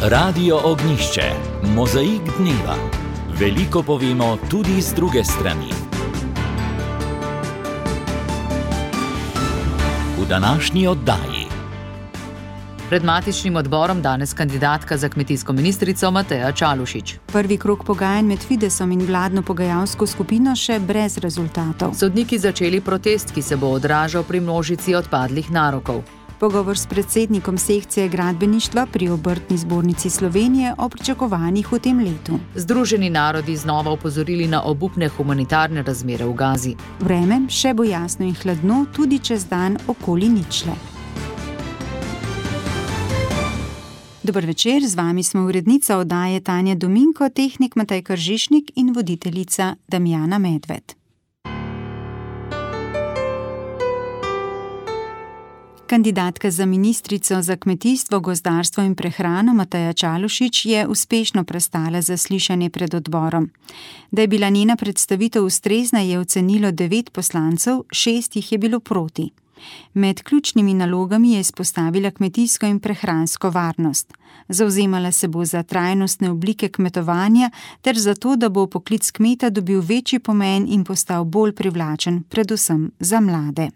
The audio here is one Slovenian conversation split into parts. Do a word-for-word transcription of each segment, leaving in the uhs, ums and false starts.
Radio Ognjišče, mozaik dneva. Veliko povemo tudi z druge strani. V današnji oddaji. Pred matičnim odborom danes kandidatka za kmetijsko ministrico Mateja Čalušić. Prvi krog pogajanj med Fidesom in vladno pogajalsko skupino še brez rezultatov. Sodniki začeli protest, ki se bo odražal pri množici odpadlih narokov. Pogovor s predsednikom sekcije gradbeništva pri Obrtni zbornici Slovenije o pričakovanjih v tem letu. Združeni narodi znova opozorili na obupne humanitarne razmere v Gazi. Vreme še bo jasno in hladno, tudi čez dan okoli ničle. Dober večer, z vami smo urednica oddaje Tanja Dominko, tehnik Matej Kržišnik in voditeljica Damjana Medved. Kandidatka za ministrico za kmetijstvo, gozdarstvo in prehrano Mateja Čalušić je uspešno prestala zaslišanje pred odborom. Da je bila njena predstavitev ustrezna, je ocenilo devet poslancev, šest jih je bilo proti. Med ključnimi nalogami je izpostavila kmetijsko in prehransko varnost. Zavzemala se bo za trajnostne oblike kmetovanja ter za to, da bo poklic kmeta dobil večji pomen in postal bolj privlačen, predvsem za mlade.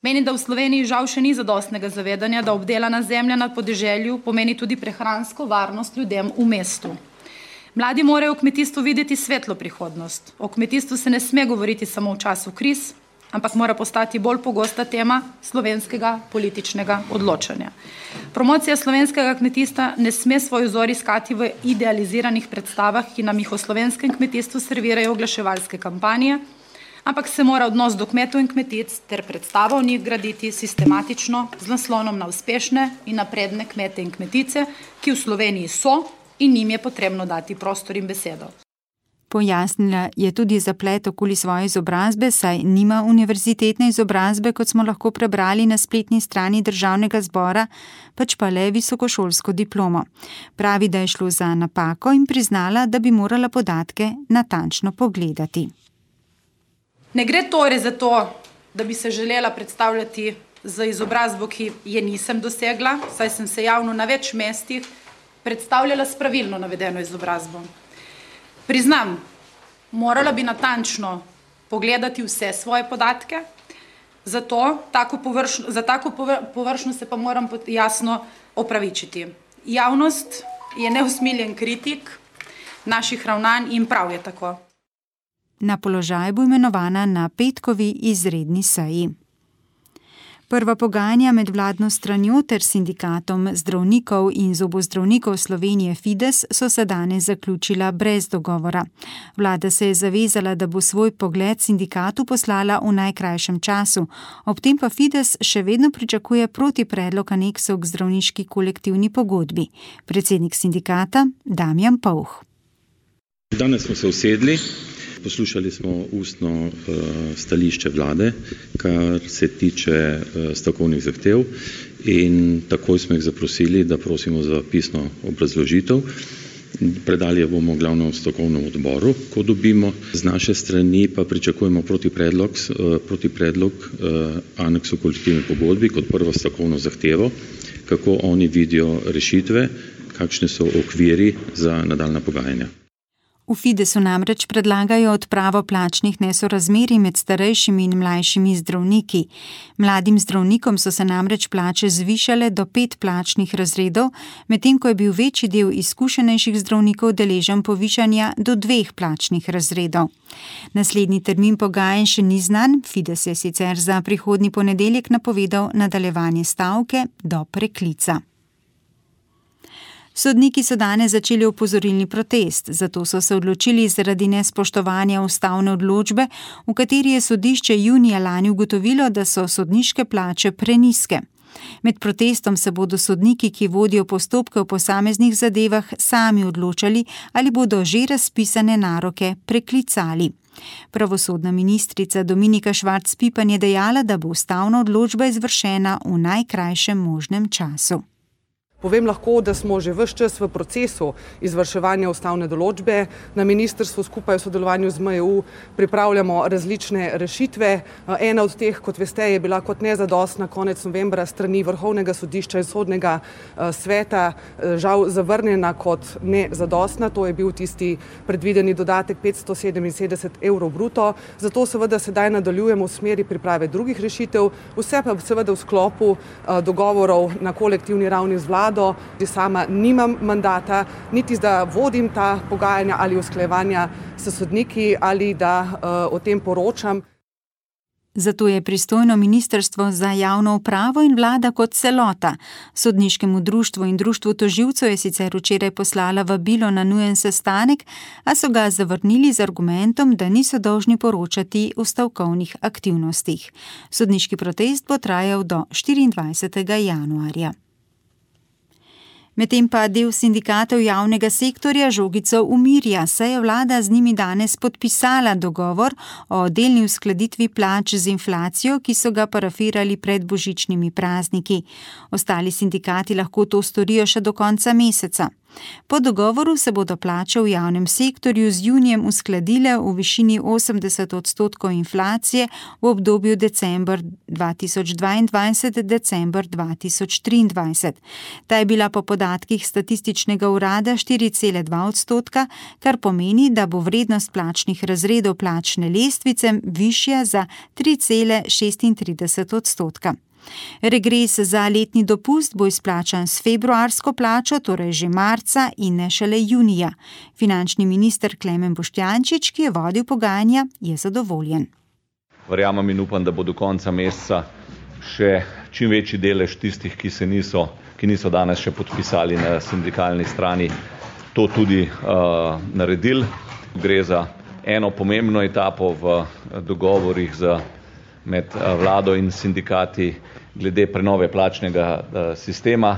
Menim, da v Sloveniji žal še ni zadostnega zavedanja, da obdelana zemlja na podeželju pomeni tudi prehransko varnost ljudem v mestu. Mladi morajo v kmetijstvu videti svetlo prihodnost. O kmetijstvu se ne sme govoriti samo v času kriz, ampak mora postati bolj pogosta tema slovenskega političnega odločanja. Promocija slovenskega kmetijstva ne sme svoj vzor iskati v idealiziranih predstavah, ki nam jih o slovenskem kmetijstvu servirajo oglaševalske kampanje, ampak se mora odnos do kmetov in kmetic ter predstava o njih graditi sistematično z naslonom na uspešne in napredne kmete in kmetice, ki v Sloveniji so in njim je potrebno dati prostor in besedo. Pojasnila je tudi zaplet okoli svoje izobrazbe, saj nima univerzitetne izobrazbe, kot smo lahko prebrali na spletni strani Državnega zbora, pač pa le visokošolsko diplomo. Pravi, da je šlo za napako in priznala, da bi morala podatke natančno pogledati. Ne gre torej za to, da bi se želela predstavljati z izobrazbo, ki je nisem dosegla, saj sem se javno na več mestih predstavljala s pravilno navedeno izobrazbo. Priznam, morala bi natančno pogledati vse svoje podatke, zato tako površno, za tako površno se pa moram jasno opravičiti. Javnost je neusmiljen kritik naših ravnanj in prav je tako. Na položaj bo imenovana na petkovi izredni seji. Prva pogajanja med vladno stranjo ter sindikatom zdravnikov in zobozdravnikov Slovenije Fides so se danes zaključila brez dogovora. Vlada se je zavezala, da bo svoj pogled sindikatu poslala v najkrajšem času, ob tem pa Fides še vedno pričakuje protipredlog aneksov k zdravniški kolektivni pogodbi. Predsednik sindikata Damjan Povh. Danes smo se usedli. Poslušali smo ustno uh, stališče vlade, kar se tiče uh, stavkovnih zahtev in takoj smo jih zaprosili, da prosimo za pisno obrazložitev. Predali jo bomo glavnemu stavkovnemu odboru, ko dobimo. Z naše strani pa pričakujemo protipredlog, uh, protipredlog uh, aneksu kolektivne pogodbi kot prvo stavkovno zahtevo, kako oni vidijo rešitve, kakšne so okviri za nadaljnja pogajanja. V Fidesu namreč predlagajo odpravo plačnih nesorazmerij med starejšimi in mlajšimi zdravniki. Mladim zdravnikom so se namreč plače zvišale do pet plačnih razredov, medtem ko je bil večji del izkušenejših zdravnikov deležen povišanja do dveh plačnih razredov. Naslednji termin pogajanj še ni znan, Fides je sicer za prihodnji ponedeljek napovedal nadaljevanje stavke do preklica. Sodniki so danes začeli opozorilni protest, zato so se odločili zaradi nespoštovanja ustavne odločbe, v kateri je sodišče junija lani ugotovilo, da so sodniške plače prenizke. Med protestom se bodo sodniki, ki vodijo postopke v posameznih zadevah, sami odločali, ali bodo že razpisane naroke preklicali. Pravosodna ministrica Dominika Švarc Pipan je dejala, da bo ustavna odločba izvršena v najkrajšem možnem času. Povem lahko, da smo že ves čas v procesu izvrševanja ustavne določbe. Na ministrstvu skupaj v sodelovanju z M E U pripravljamo različne rešitve. Ena od teh, kot veste, je bila kot nezadostna konec novembra strani Vrhovnega sodišča in Sodnega sveta žal zavrnjena kot nezadostna. To je bil tisti predvideni dodatek petsto sedeminsedemdeset evrov bruto. Zato seveda sedaj nadaljujemo v smeri priprave drugih rešitev, vse pa seveda v sklopu dogovorov na kolektivni ravni z vlado. Sama nimam mandata, niti da vodim ta pogajanja ali usklajevanja s sodniki ali da uh, o tem poročam. Zato je pristojno ministrstvo za javno upravo in vlada kot celota. Sodniškemu društvu in društvu tožilcev je sicer včeraj poslala vabilo na nujen sestanek, a so ga zavrnili z argumentom, da niso dolžni poročati o stavkovnih aktivnostih. Sodniški protest bo trajal do štiriindvajsetega januarja. Medtem pa del sindikatov javnega sektorja žogico umirja, saj je vlada z njimi danes podpisala dogovor o delni uskladitvi plač z inflacijo, ki so ga parafirali pred božičnimi prazniki. Ostali sindikati lahko to storijo še do konca meseca. Po dogovoru se bodo plače v javnem sektorju z junijem uskladile v višini osemdeset odstotkov inflacije v obdobju december dva tisoč dvaindvajset do december dva tisoč triindvajset. Ta je bila po podatkih statističnega urada štiri cele dva odstotka, kar pomeni, da bo vrednost plačnih razredov plačne lestvice višja za tri cele šestintrideset odstotka. Regres za letni dopust bo izplačan s februarsko plačo, torej že marca in ne šele junija. Finančni minister Klemen Boštjančič, ki je vodil pogajanja, je zadovoljen. Verjamem in upam, da bo do konca meseca še čim večji delež tistih, ki se niso, ki niso danes še podpisali na sindikalni strani, to tudi uh, naredili. Gre za eno pomembno etapo v dogovorih za med vlado in sindikati glede prenove plačnega sistema.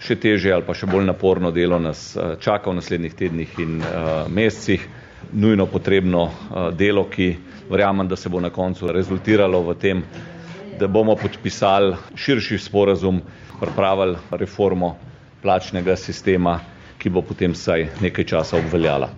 Še težje ali pa še bolj naporno delo nas čaka v naslednjih tednih in mesecih. Nujno potrebno delo, ki verjamem, da se bo na koncu rezultiralo v tem, da bomo podpisali širši sporazum, pripravili reformo plačnega sistema, ki bo potem vsaj nekaj časa obveljala.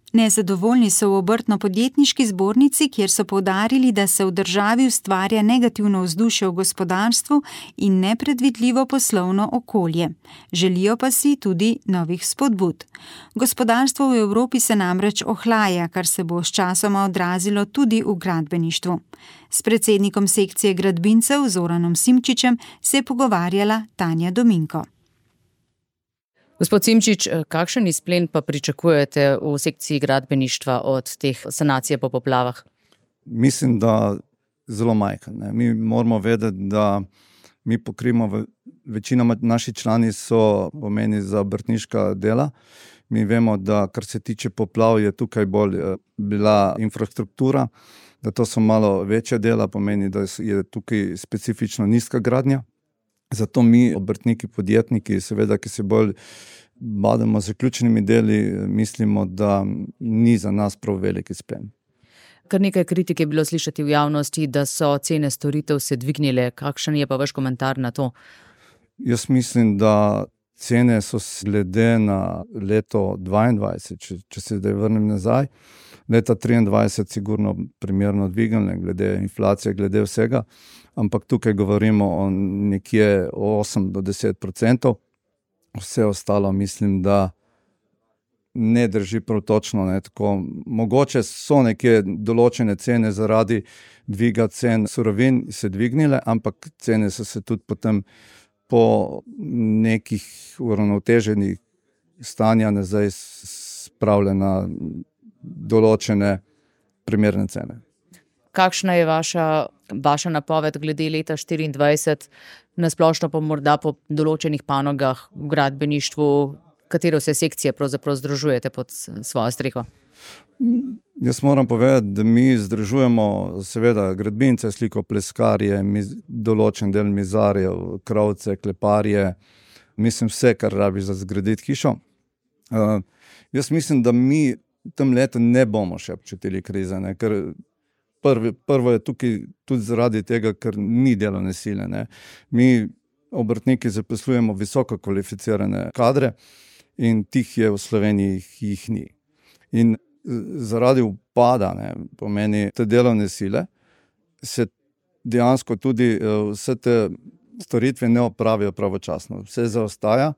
Nezadovoljni so v obrtno-podjetniški zbornici, kjer so poudarili, da se v državi ustvarja negativno vzdušje v gospodarstvu in nepredvidljivo poslovno okolje. Želijo pa si tudi novih spodbud. Gospodarstvo v Evropi se namreč ohlaja, kar se bo s časoma odrazilo tudi v gradbeništvu. S predsednikom sekcije gradbincev Zoranom Simčičem se je pogovarjala Tanja Dominko. Gospod Simčič, kakšen izplen pa pričakujete v sekciji gradbeništva od teh sanacije po poplavah? Mislim, da zelo majhen. Ne. Mi moramo vedeti, da mi pokrijemo, večina naših člani so pomeni za obrtniška dela. Mi vemo, da kar se tiče poplav, je tukaj bolj bila infrastruktura, da to so malo večja dela, pomeni, da je tukaj specifično nizka gradnja. Zato mi, obrtniki, podjetniki, seveda, ki se bolj badamo z zaključenimi deli, mislimo, da ni za nas prav velik izplen. Kar nekaj kritik je bilo slišati v javnosti, da so cene storitev se dvignile. Kakšen je pa vaš komentar na to? Jaz mislim, da cene so glede na leto dvaindvajset, če, če se zdaj vrnem nazaj, leta triindvajset sigurno primerno dvignile, glede inflacije, glede vsega, ampak tukaj govorimo o nekje osem do deset procentov. Vse ostalo mislim, da ne drži prav točno. Ne, tako, mogoče so neke določene cene zaradi dviga cen surovin se dvignile, ampak cene so se tudi potem po nekih uravnoteženih stanja nazaj spravile na določene primerne cene. Kakšna je vaša, vaša napoved glede leta štiriindvajset, nasplošno pa morda po določenih panogah v gradbeništvu, katero se sekcije pravzaprav združujete pod svojo streho? Jaz moram povedati, da mi združujemo seveda gradbince, slikopleskarje, določen del mizarjev, krovce, kleparje, mislim vse, kar rabi za zgraditi hišo. Uh, jaz mislim, da mi tem letu ne bomo še občutili krize, ne, ker Prvi, prvo je tukaj tudi zaradi tega, ker ni delovne sile. Ne. Mi obrtniki zaposlujemo visoko kvalificirane kadre in tih je v Sloveniji jih ni. In zaradi upada, ne, pomeni te delovne sile, se dejansko tudi vse te storitve ne opravijo pravočasno. Vse zaostaja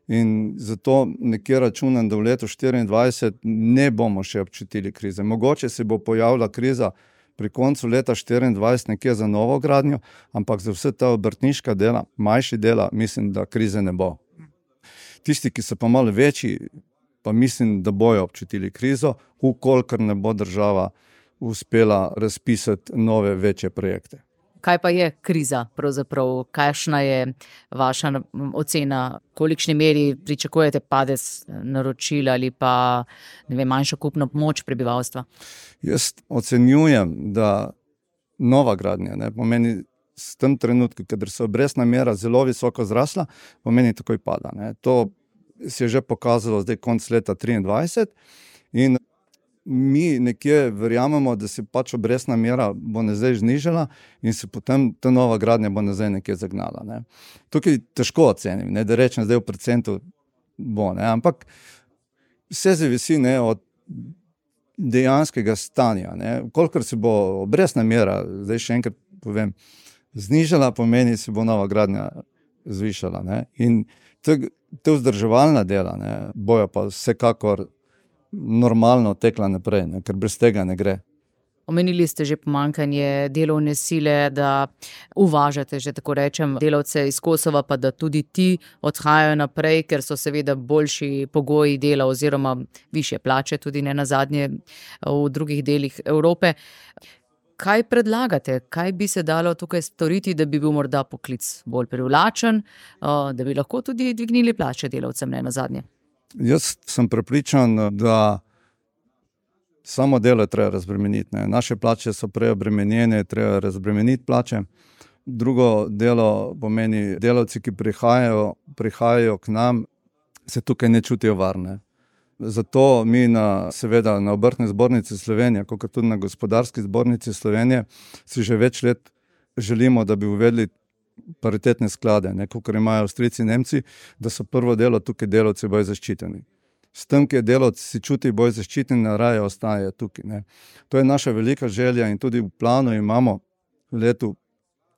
in zato nekje računam, da v letu štiriindvajset ne bomo še občutili krize. Mogoče se bo pojavila kriza pri koncu leta štiriindvajset nekje za novo gradnjo, ampak za vse ta obrtniška dela, manjši dela, mislim, da krize ne bo. Tisti, ki so pa malo večji, pa mislim, da bojo občutili krizo, ukolikor ne bo država uspela razpisati nove večje projekte. Kaj pa je kriza pravzaprav? Kakšna je vaša ocena? Kolikšni meri pričakujete padec naročil ali pa ne vem, manjšo kupno moč prebivalstva? Jaz ocenjujem, da nova gradnja, ne, pomeni s tem trenutku, kadar se obrestna mera zelo visoko zrasla, pomeni takoj pada. Ne. To se je že pokazalo zdaj konec leta triindvajset in mi nekje verjamemo, da se pač obrestna mera bo nazaj znižala in se potem ta nova gradnja bo nazaj nekje zagnala. Ne. Tukaj težko ocenim, ne, da rečem zdaj v procentu bo, ne, ampak vse zavisi, ne, od dejanskega stanja. Ne. Kolikor se bo obrestna mera, zdaj še enkrat povem, znižala, pomeni se bo nova gradnja zvišala. Ne. In te, te vzdrževalna dela, ne, bojo pa vsekakor normalno tekla naprej, ne, ker brez tega ne gre. Omenili ste že pomanjkanje delovne sile, da uvažate, že tako rečem, delavce iz Kosova, pa da tudi ti odhajajo naprej, ker so seveda boljši pogoji dela oziroma višje plače, tudi ne nazadnje v drugih delih Evrope. Kaj predlagate? Kaj bi se dalo tukaj storiti, da bi bil morda poklic bolj privlačen, da bi lahko tudi dvignili plače delavcem ne nazadnje? Jaz sem prepričan, da samo delo je treba razbremeniti. Ne. Naše plače so preobremenjene, treba razbremeniti plače. Drugo delo pomeni, delavci, ki prihajajo, prihajajo k nam, se tukaj ne čutijo varne. Zato mi na, seveda na Obrtni zbornici Slovenije, kot tudi na Gospodarski zbornici Slovenije, si že več let želimo, da bi uvedli paritetne sklade, ne, kot imajo Avstrijci in Nemci, da so prvo delo tukaj delavci bolj zaščiteni. S tem, ki je delavci si čuti bolj zaščiteni, raje ostaje tukaj. Ne. To je naša velika želja in tudi v planu imamo v letu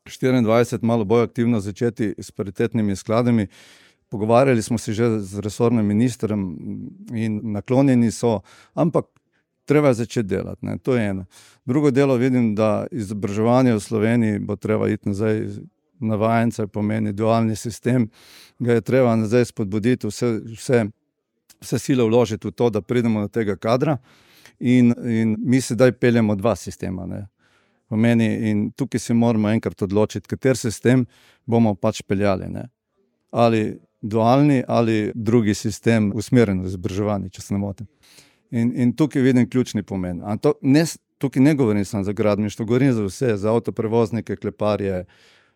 štiriindvajset malo bolj aktivno začeti s paritetnimi skladami. Pogovarjali smo se že z resornim ministrem in naklonjeni so, ampak treba je začeti delati. Ne. To je eno. Drugo delo vidim, da izobraževanje v Sloveniji bo treba iti nazaj na vajence, pomeni dualni sistem, ga je treba nazaj spodbuditi, vse, vse, vse sile vložiti v to, da pridemo do tega kadra in, in mi sedaj peljemo dva sistema. Ne. Pomeni, in tukaj se moramo enkrat odločiti, kater sistem bomo pač peljali. Ne. Ali dualni ali drugi sistem usmerjen v izobraževanje, če se ne motim. In, in tukaj vidim ključni pomen. A to ne, tukaj ne govorim samo za gradbeništvo, govorim za vse, za avtoprevoznike, kleparje,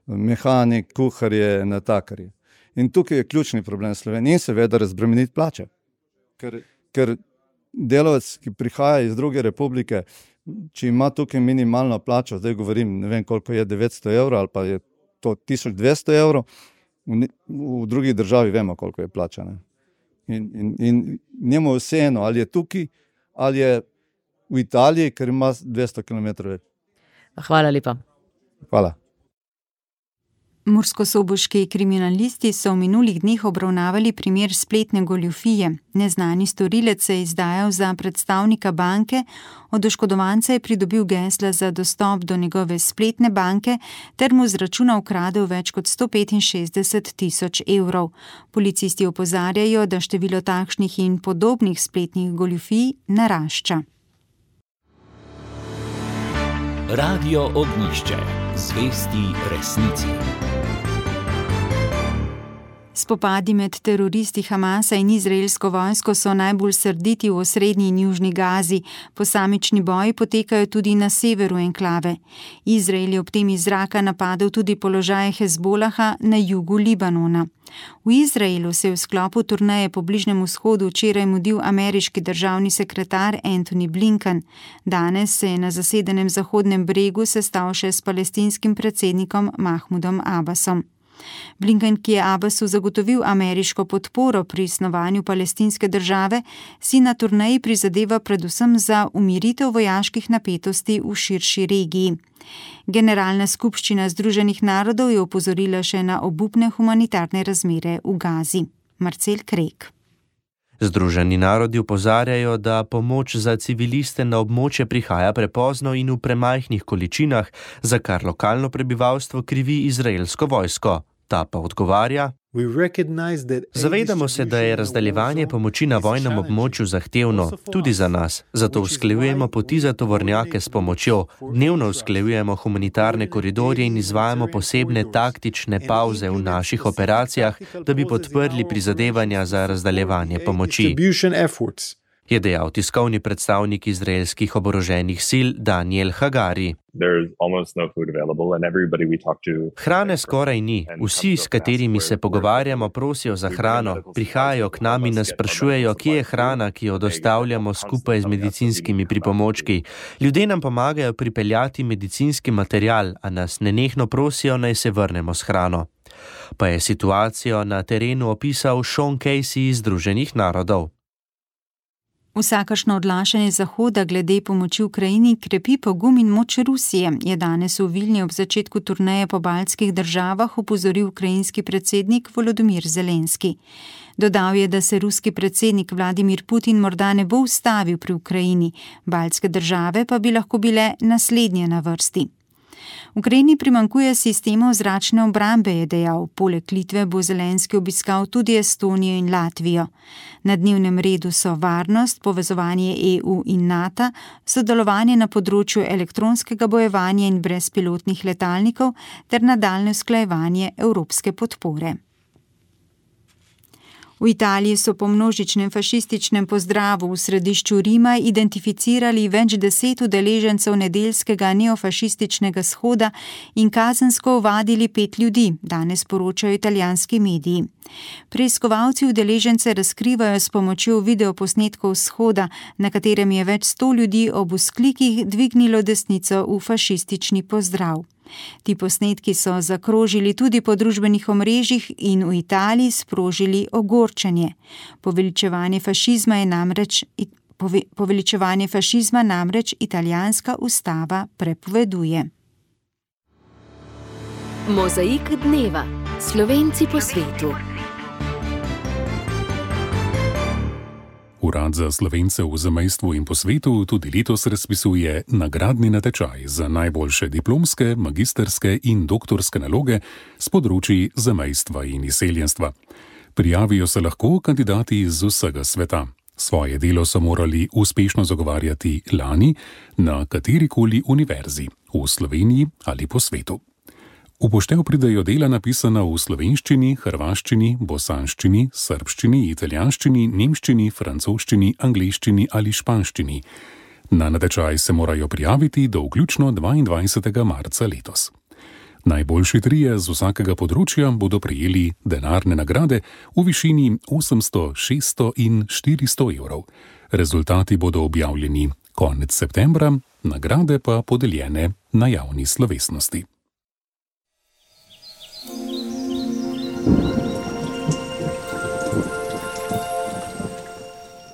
mehanik, kuharje, natakarje. In tukaj je ključni problem Slovenije in seveda razbremeniti plače. Ker, ker delavec, ki prihaja iz druge republike, če ima tukaj minimalno plačo, zdaj govorim, ne vem koliko je, devetsto evrov ali pa je to tisoč dvesto evrov, v, v drugi državi vemo koliko je plača. Ne? In, in, in njemu vseeno, ali je tukaj, ali je v Italiji, ker ima dvesto kilometrov več. Hvala lepa. Hvala. Murskosoboški kriminalisti so v minulih dneh obravnavali primer spletne goljufije. Neznani storilec se je izdajal za predstavnika banke, od oškodovanca je pridobil gesla za dostop do njegove spletne banke ter mu z računa ukradel več kot sto petinšestdeset tisoč evrov. Policisti opozarjajo, da število takšnih in podobnih spletnih goljufij narašča. Radio Ognjišče. Zvesti resnici. Spopadi med teroristi Hamasa in izraelsko vojsko so najbolj srditi v osrednji in južni Gazi. Posamični boji potekajo tudi na severu enklave. Izrael je ob tem iz zraka napadel tudi položaje Hezbolaha na jugu Libanona. V Izraelu se je v sklopu turneje po Bližnjem vzhodu včeraj mudil ameriški državni sekretar Antony Blinken. Danes se je na zasedenem Zahodnem bregu sestal še s palestinskim predsednikom Mahmudom Abbasom. Blinken, ki je Abbasu zagotovil ameriško podporo pri snovanju palestinske države, si na turneji prizadeva predvsem za umiritev vojaških napetosti v širši regiji. Generalna skupščina Združenih narodov je opozorila še na obupne humanitarne razmere v Gazi. Marcel Krek. Združeni narodi opozarjajo, da pomoč za civiliste na območje prihaja prepozno in v premajhnih količinah, za kar lokalno prebivalstvo krivi izraelsko vojsko. Ta pa odgovarja: Zavedamo se, da je razdaljevanje pomoči na vojnem območju zahtevno, tudi za nas. Zato usklajujemo poti za tovornjake s pomočjo, dnevno usklajujemo humanitarne koridorje in izvajamo posebne taktične pavze v naših operacijah, da bi podprli prizadevanja za razdaljevanje pomoči, je dejal tiskovni predstavnik izraelskih oboroženih sil Daniel Hagari. Hrane skoraj ni. Vsi, s katerimi se pogovarjamo, prosijo za hrano, prihajajo k nam in nas sprašujejo, kje je hrana, ki jo dostavljamo skupaj z medicinskimi pripomočki. Ljudje nam pomagajo pripeljati medicinski material, a nas nenehno prosijo, naj se vrnemo s hrano. Pa je situacijo na terenu opisal Sean Casey iz Združenih narodov. Vsakašno odlašanje Zahoda glede pomoči Ukrajini krepi pogum in moč Rusije, je danes v Vilni ob začetku turneje po baltskih državah opozoril ukrajinski predsednik Volodymyr Zelenski. Dodal je, da se ruski predsednik Vladimir Putin morda ne bo ustavil pri Ukrajini, baltske države pa bi lahko bile naslednje na vrsti. Ukrajini primanjkuje sistemov zračne obrambe, je dejal. Poleg Litve bo Zelenski obiskal tudi Estonijo in Latvijo. Na dnevnem redu so varnost, povezovanje E U in NATO, sodelovanje na področju elektronskega bojevanja in brezpilotnih letalnikov ter nadaljnje usklajevanje evropske podpore. V Italiji so po množičnem fašističnem pozdravu v središču Rima identificirali več deset udeležencev nedeljskega neofašističnega shoda in kazensko ovadili pet ljudi, danes poročajo italijanski mediji. Preiskovalci udeležence razkrivajo s pomočjo videoposnetkov shoda, na katerem je več sto ljudi ob vzklikih dvignilo desnico v fašistični pozdrav. Ti posnetki so zakrožili tudi po družbenih omrežjih in v Italiji sprožili ogorčenje. Poveličevanje fašizma je namreč, pove, poveličevanje fašizma namreč italijanska ustava prepoveduje. Mozaik dneva. Slovenci po svetu. Urad za Slovence v zamejstvu in po svetu tudi letos razpisuje nagradni natečaj za najboljše diplomske, magisterske in doktorske naloge s področji zamejstva in izseljenstva. Prijavijo se lahko kandidati iz vsega sveta. Svoje delo so morali uspešno zagovarjati lani na katerikoli univerzi, v Sloveniji ali po svetu. V poštev pridejo dela napisana v slovenščini, hrvaščini, bosanščini, srbščini, italijanščini, nemščini, francoščini, angleščini ali španščini. Na natečaj se morajo prijaviti do vključno dvaindvajsetega marca letos. Najboljši trije z vsakega področja bodo prejeli denarne nagrade v višini osemsto, šeststo in štiristo evrov. Rezultati bodo objavljeni konec septembra, nagrade pa podeljene na javni slovesnosti.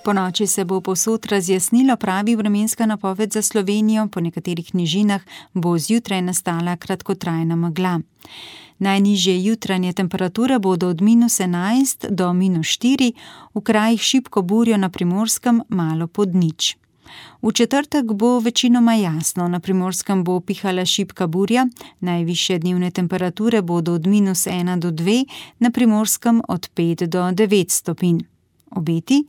Po noči se bo povsod razjasnilo, pravi vremenska napoved za Slovenijo, po nekaterih nižinah bo zjutraj nastala kratkotrajna megla. Najnižje jutranje temperature bodo od minus enajst do minus štiri, v krajih šibko burjo na Primorskem malo pod nič. V četrtek bo večinoma jasno, na Primorskem bo pihala šibka burja, najvišje dnevne temperature bodo od minus ena do dve, na Primorskem od pet do devet stopinj. Obeti?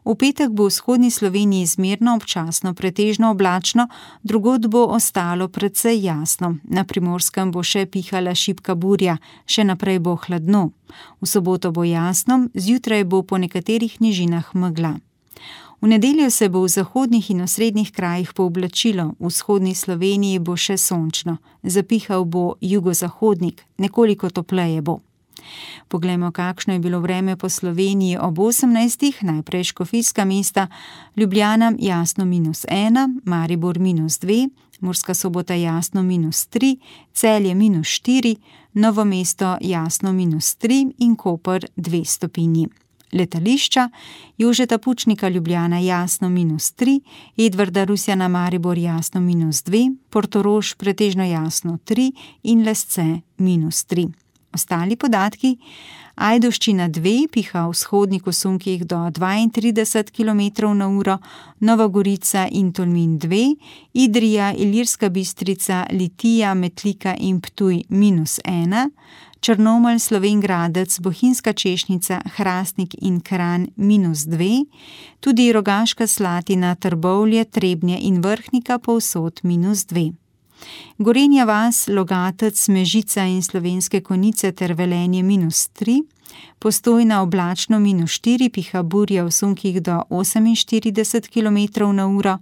V petek bo v vzhodni Sloveniji zmerno, občasno pretežno oblačno, drugod bo ostalo precej jasno. Na Primorskem bo še pihala šibka burja, še naprej bo hladno. V soboto bo jasno, zjutraj bo po nekaterih nižinah megla. V nedeljo se bo v zahodnih in osrednjih krajih pooblačilo, v vzhodni Sloveniji bo še sončno, zapihal bo jugozahodnik, nekoliko topleje bo. Poglejmo, kakšno je bilo vreme po Sloveniji ob osemnajstih, najprej škofijska mesta, Ljubljana jasno minus ena, Maribor minus dve, Murska Sobota jasno minus tri, Celje minus štiri, Novo mesto jasno minus tri in Koper dve stopinji. Letališča: Jožeta Pučnika Ljubljana jasno minus tri, Edvarda Rusjana Maribor jasno minus dve, Portorož pretežno jasno tri in Lesce minus tri. Ostali podatki: Ajdovščina dve, piha v vzhodnih usunkih do dvaintrideset kilometrov na uro, Nova Gorica in Tolmin dve, Idrija, Ilirska Bistrica, Litija, Metlika in Ptuj minus ena, Črnomelj, Slovenj Gradec, Bohinjska Češnica, Hrastnik in Kranj minus dve, tudi Rogaška Slatina, Trbovlje, Trebnje in Vrhnika povsod minus dve. Gorenja vas, Logatec, Mežica in Slovenske Konjice ter Velenje minus tri, Postojna oblačno minus štiri, piha burja v sunkih do oseminštirideset kilometrov na uro,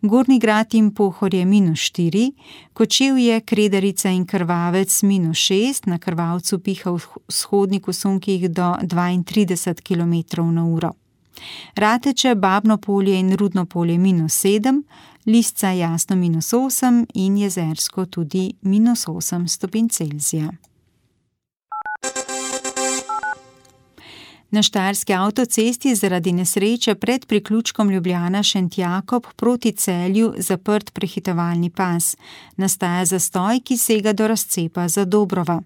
Gornji Grad in Pohorje minus štiri, Kočevje, Kredarica in Krvavec minus šest, na Krvavcu piha v vzhodnih usunkih do dvaintrideset kilometrov na uro. Rateče, Babno Polje in Rudno Polje minus sedem, Lisca jasno minus osem in Jezersko tudi minus osem stopinj Celzija. Na štajerski avtocesti zaradi nesreče pred priključkom Ljubljana-Šentjakob proti Celju zaprt prehitevalni pas. Nastaja zastoj, ki sega do razcepa Zadobrova.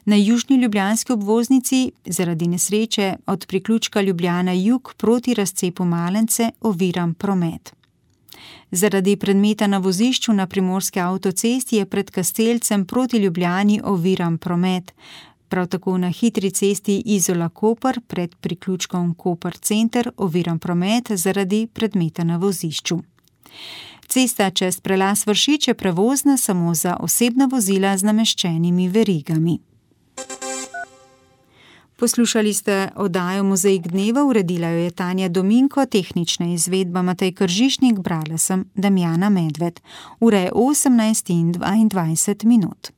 Na južni ljubljanski obvoznici zaradi nesreče od priključka Ljubljana jug proti razcepu Malence oviran promet. Zaradi predmeta na vozišču na primorski avtocesti je pred Kastelcem proti Ljubljani oviran promet. Prav tako na hitri cesti Izola-Koper pred priključkom Koper center oviran promet zaradi predmeta na vozišču. Cesta čez prelaz Vršič je prevozna samo za osebna vozila z nameščenimi verigami. Poslušali ste oddajo Mozaik dneva, uredila jo je Tanja Dominko, tehnična izvedba Matej Kržišnik, brala sem Damjana Medved. Ura je osemnajst in dvaindvajset minut.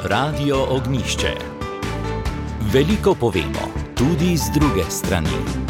Radio Ognjišče. Veliko povemo, tudi z druge strani.